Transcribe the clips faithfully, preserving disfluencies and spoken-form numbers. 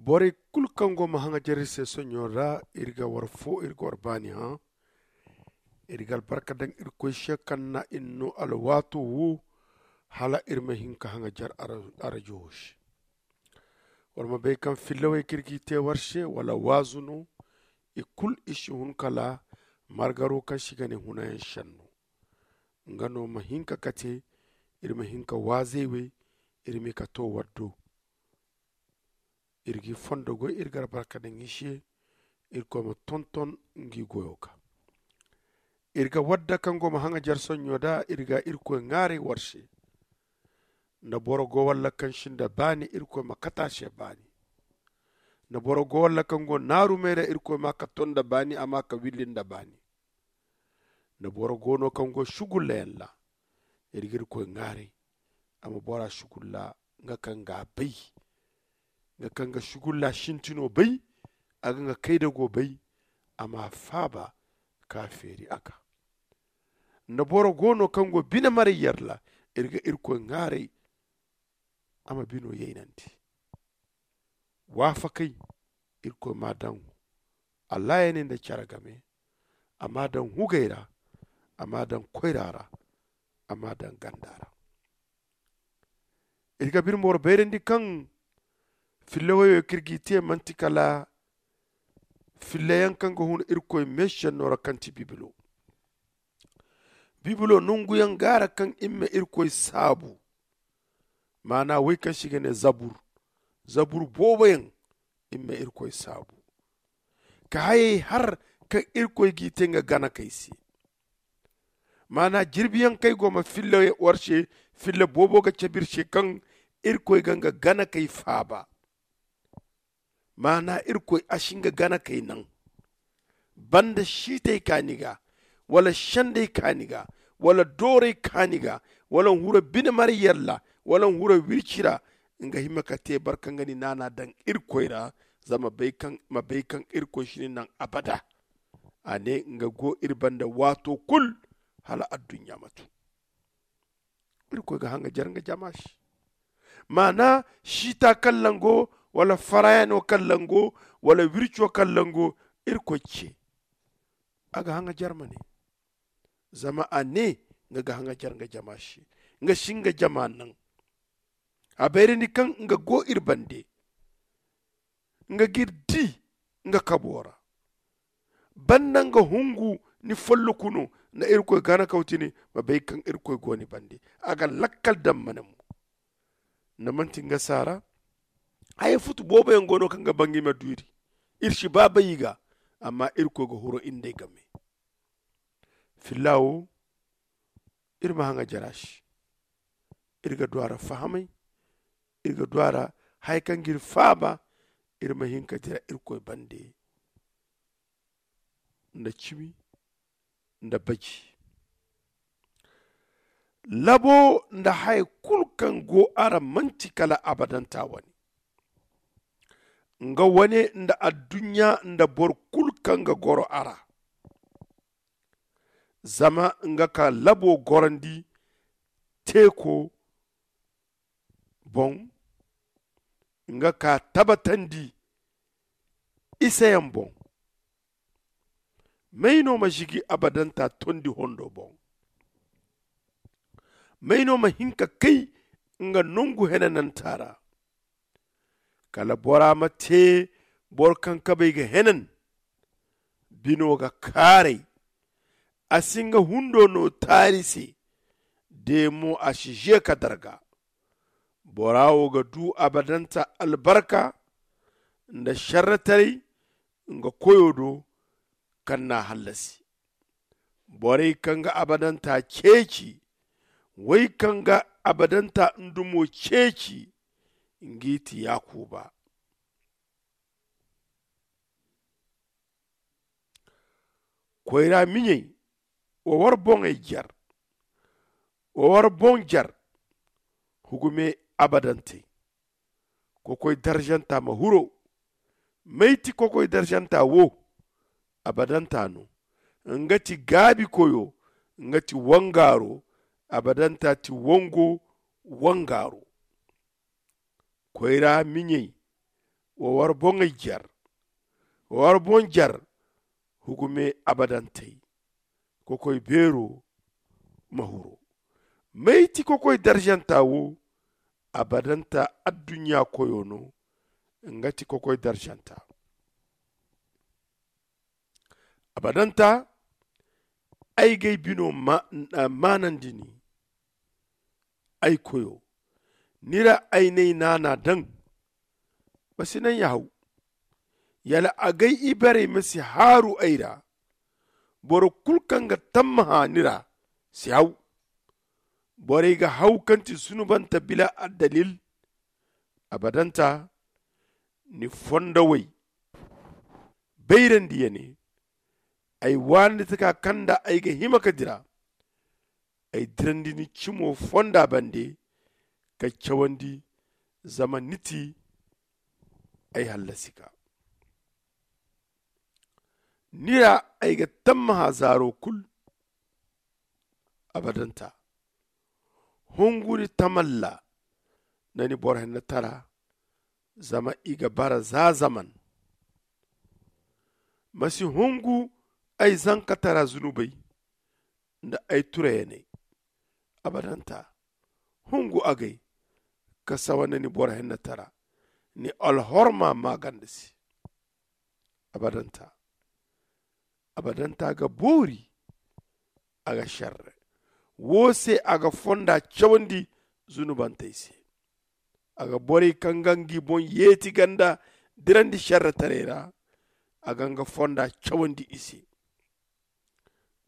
Borey kulu kaŋ go ma haŋajer iri se soɲɲo ra, iri ga war fo, iri ga war baani hã. Iri ga albarka daŋ irkoy se kaŋ na iri no alwaato wo, hala iri ma hin ka haŋajer arajo wo se. War ma bay kaŋ fillawey kaŋ iri g'i te war se wala waazu no, i kulu i si hun kala margaro kaŋ se i ga ne hunayaŋ senno. Nga no ma hin ka kate, iri ma hin ka waazey wey, iri ma i ka to war do. Iri g'i fondo goy, iri ga albarka daŋ i se. Irkoy ma tonton ngi goyo ga. Iri ga wadda kaŋ go ma haŋajer soɲɲo da, iri ga irkoy ŋaaray war se. Nda boro go walla kaŋ si nda baani, irkoy ma kate a se baani. Nda boro go walla kaŋ go naaru me ra, irkoy ma ka to nda baani, a ma ka willi nda baani. Nda boro go no kaŋ go sugullayaŋ ra, iri ga irkoy ŋaaray, a ma bora sugulla. Nga kaŋ ga a bay, nga kaŋ ga sugulla sintino bay, a ga nga kaydago bay, a ma a faaba ka a feeri a ga. Nda boro go no kaŋ go bine maray yar ra, iri ga irkoy ŋaaray, a ma bino yaynandi. Waafakay, irkoy m'a daŋ allaayaney nda care game. A m'a daŋ hugey ra, a m'a daŋ koyra ra, a m'a daŋ ganda ra. Iri ga bine boro bayrandi kaŋ fillawey kaŋ iri g'i te manti kala fillayaŋ kaŋ ga hun irkoy meesenno ra kaŋ ti bibilo. Bibilo nonguyaŋ gaara kaŋ iri ma irkoy saabu. Maana wey kaŋ se i ga ne zabur, zabur booboyaŋ, iri ma irkoy saabu ka hayey har kaŋ irkoy g'i te nga ganakey se. Maana jirbiyaŋ kaŋ ay go ma filla war se, filla boobo ga cabe iri se kaŋ irkoy ga nga ganakey faaba. Maana irkoy a si nga ganakey naŋ banda siitey kaani ga, wala sendey kaani ga, wala doorey kaani ga, wala hura bine maray yar ra, wala hura wirci ra. Nga hima ka te boro kaŋ ga ni naana daŋ irkoy ra, zama ma bay kaŋ irkoy si ni naŋ abada. A ne nga go iri banda waato kulu, hala adduɲɲa ma tun. Irkoy ga haŋajer nga jama se. Maana siita kaŋ lango, wala farayano kaŋ lango, wala wirco kaŋ lango, irkoy ce a ga haŋajer ma ne. Zama a ne nga ga haŋajer nga jama se. Nga si nga jama naŋ. A bayrandi kaŋ nga go iri bande. Nga g'iri di nga kabo ra. Banda nga hungu ni folloku no, nda irkoy gana kawtini ma bay kaŋ irkoy go ni bande. A ga lakkal daŋ mana mo. Nda manti nga saara, haya futu booboyaŋ go no kaŋ ga bangay ma duuri. Iri si ba bay i ga. Amma irkoy ga huro iri nd'ey game. Filla wo, iri ma haŋajer a se. Iri ga du a ra fahamay. Iri ga du a ra haya kaŋ g'iri faaba. Iri ma hin ka dira irkoy bande nda cimi nda baji. Labo nda haya kulu kaŋ go a ra manti kala abadanta wane. Nga wane nda adduɲɲa nda boro kulu kaŋ ga goro a ra. Zama nga ka labo gorandi teeko boŋ, nga ka tabatandi iseyaŋ boŋ. May no ma zigi abadanta tondi hondo boŋ? May no ma hin ka kay nga nongu henananta ra? Kala bora ma te boro kaŋ kabay ga henan. Bino ga kaaray. A si nga hundo no taari se. De mo a si ze ka darga. Bora wo ga du abadanta albarka nda šerretaray nga koyo do kaŋ n'a hallasi. Borey kaŋ ga abadanta ceeci, wey kaŋ ga abadanta ndumo ceeci, ngi ti yakuba. Koyra miɲey, wa war boŋey jer. Wa war boŋ jer. Hugume abadantey. Kokoy darzanta ma huro. May ti kokoy darzanta wo? Abadanta no. Nga ti gaabi koyo. Nga ti wangaaro. Abadanta ti wango wangaaro. Koyra miɲey, Wa war boŋey jer, wa war boŋ jer. Hugume abadantey kokoy beero ma huru. May ti kokoy darzanta wo? Abadanta adduɲɲa koyo no. Nga ti kokoy darzanta. Abadanta ay g'ay bino maanandi ni. Ay koyo, ni ra ay n'ay naana daŋ. Ma si naŋ ya haw. Yala agay ibarey ma si haaru ay ra. Boro kulu kaŋ ga tammaha ni ra si haw. Borey ga haw kaŋ ti zunubante bila addalil. Abadanta ni fondowey bayrandi ya ne. Ay waanandi taka kaŋ nda ay ga hima ka dira. Ay dirandi ni cimo fonda bande ka cawandi. Zama ni ti ay hallasi ga. Ni ra ay ga tammaha zaaro kulu. Abadanta hunguri tamalla nda ni boro hennatara. Zama i ga bara za zaman. Ma si hungu ay zankatara zunubey nda ay turayaney. Abadanta hungu agay ka sawa nda ni boro hennatara. Ni alhorma maaganda se. Abadanta abadanta ga boori. A ga sharre wo se a ga fonda cawandi zunubantey se. A ga borey kaŋ ga ngi boŋ yeeti ganda dirandi sharretaray ra. A ga nga fonda cawandi i se.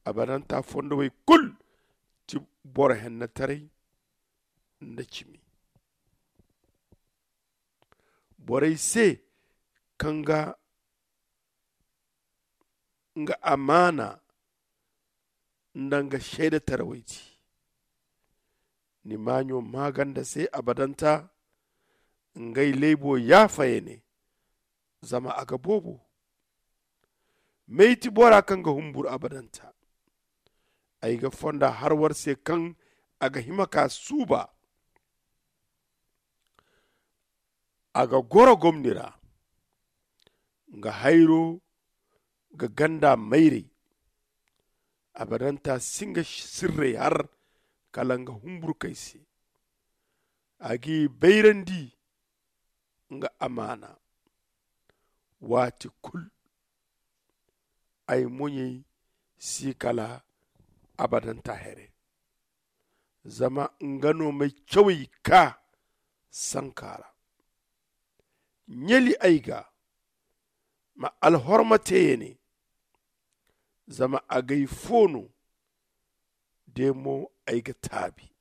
Abadanta fondowey kulu ti boro hennetaray nda cimi. Borey se kaŋ ga nga amaana nda nga seedetarawey ti. Ni maaɲo maaganda se abadanta. Ngey laybo yaafa ya ne. Zama a ga boobo. May ti bora kaŋ ga humbur abadanta? Ay ga fonda har war se kaŋ a ga hima ka suuba. A ga goro gomni ra. Nga hayro ga ganda mayray. Abadanta si nga sirray har kala nga humburkay se. A g'i bayrandi nga amaana. Waati kulu ay moɲey si kala abadanta here. Zama nga no m'ay cawey kaa sanka ra. Ɲali ay ga ma alhorma te ya ne. Zama agay fo no. De mo ay ga taabi.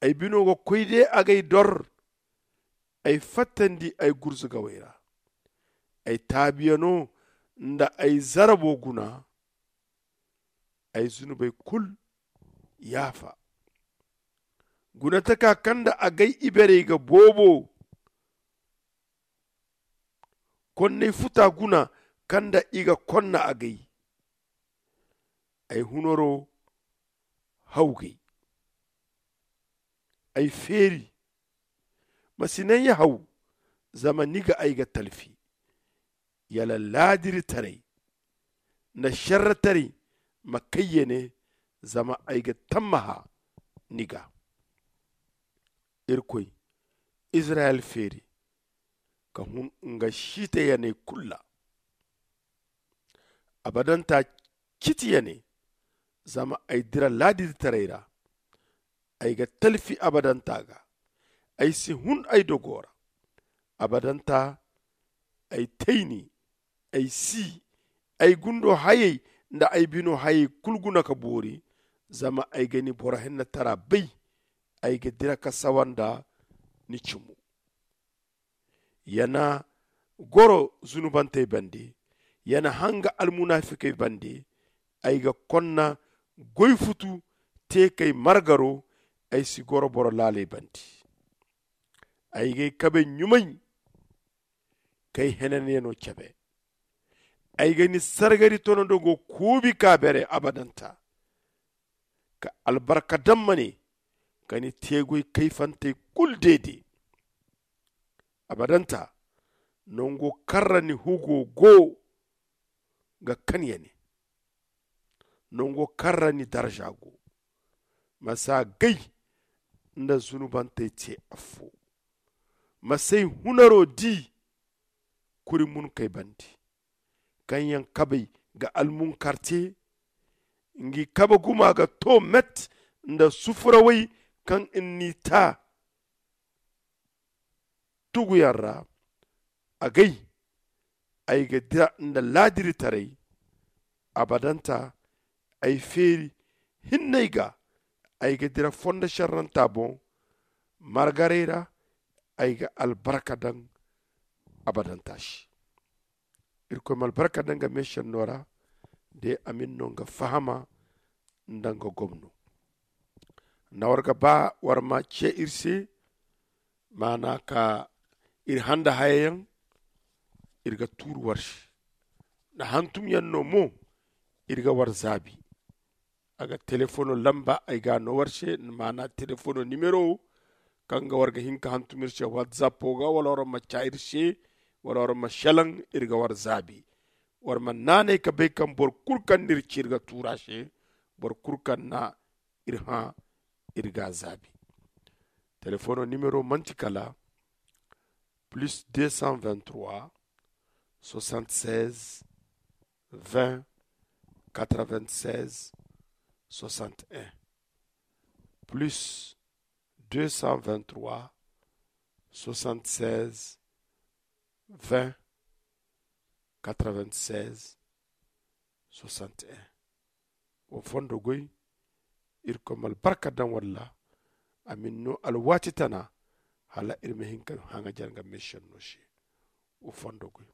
Ay bino ga koy de agay dor. Ay fattandi ay gurzugawey ra. Ay taabiyano nda ay zarabo guna. Ay zunubey kulu yaafa. Gunataka kaŋ nda agay iberey ga boobo. Konnay futa guna kaŋ nda i ga konna agay. Ay hunaro hawgay. Ay feeri. Ma si naŋ ya haw. Zama ni ga ay ga talfi. Yala laadiritaray nda šerretaray ma kay ya ne. Zama ay ga tammaha ni ga. Irkoy, izirayel feeri ka hun nga siitayaney kulu ra. Abadanta citi ya ne. Zama ay dira laadiritaray ra. Ay ga talfi abadanta ga. Ay si hun ay dogo ra. Abadanta ay tayni. Ay si ay gundo hayey nda ay bino hayey kulu guna ka boori. Zama ay ga ni boro hennatara bay. Ay ga dira ka sawa nda ni cimo. Ya na goro zunubantey bande. Ya na hanga almunafikey bande. Ay ga konna goy futu te k'ay margaro. Ay si goro boro laaley bande. Ay g'ay kabe ɲumay k'ay henanyano cabe. Ay ga ni sargari tonondo go kuubi ka bere abadanta. Ka albarka daŋ ma ne ka ni teegoy kayfantey kulu deede. Abadanta Nango kaŋ ra ni hugo go ga kanyane, nango kaŋ ra ni darza go. Ma si a gay nda zunubantey te affo. Ma si ay hunaro di kuri munkey bande, kaŋ yaŋ kabey ga almunkar te. Ngi kabe guma ga to met nda sufurawey kaŋ n'i ta tuguyaŋ ra. Agay ay ga dira nda laadiritaray. Abadanta ay feeri hinney ga. Ay ga dira fondo šerranta boŋ margaray ra. Ay ga albarka daŋ abadanta se. Irkoy ma albarka daŋ nga meesenno ra. De a ma iri no nga fahama nda nga gomno. Nda war ga ba war ma ce iri se, maana ka iri hã nda hayayaŋ. Iri ga tuuru war se nda hantumyaŋ no mo. Iri ga war zaabi. A ga telefono lamba ay ga a no war se, maana telefono nimero kaŋ ga war ga hin ka hantum iri se whatsapp ga, wala war ma ca iri se, wala war ma selaŋ. Iri ga war zaabi. War ma naanay ka bay kaŋ boro kulu kaŋ n'iri ci iri ga tuura se, boro kulu kaŋ na iri hã, iri ga a zaabi. Telefono nimero manti kala plus deux cent vingt trois, soixante seize, vingt, quatre vingt seize, soixante un. Plus deux cent vingt trois, soixante seize, vingt, quatre vingt seize, soixante un. Wo fondo goy. Irkoy ma albarka daŋ walla a ma ni no alwaati tana, hala iri ma hin ka haŋajar nga meesenno se. Wo fondo goy.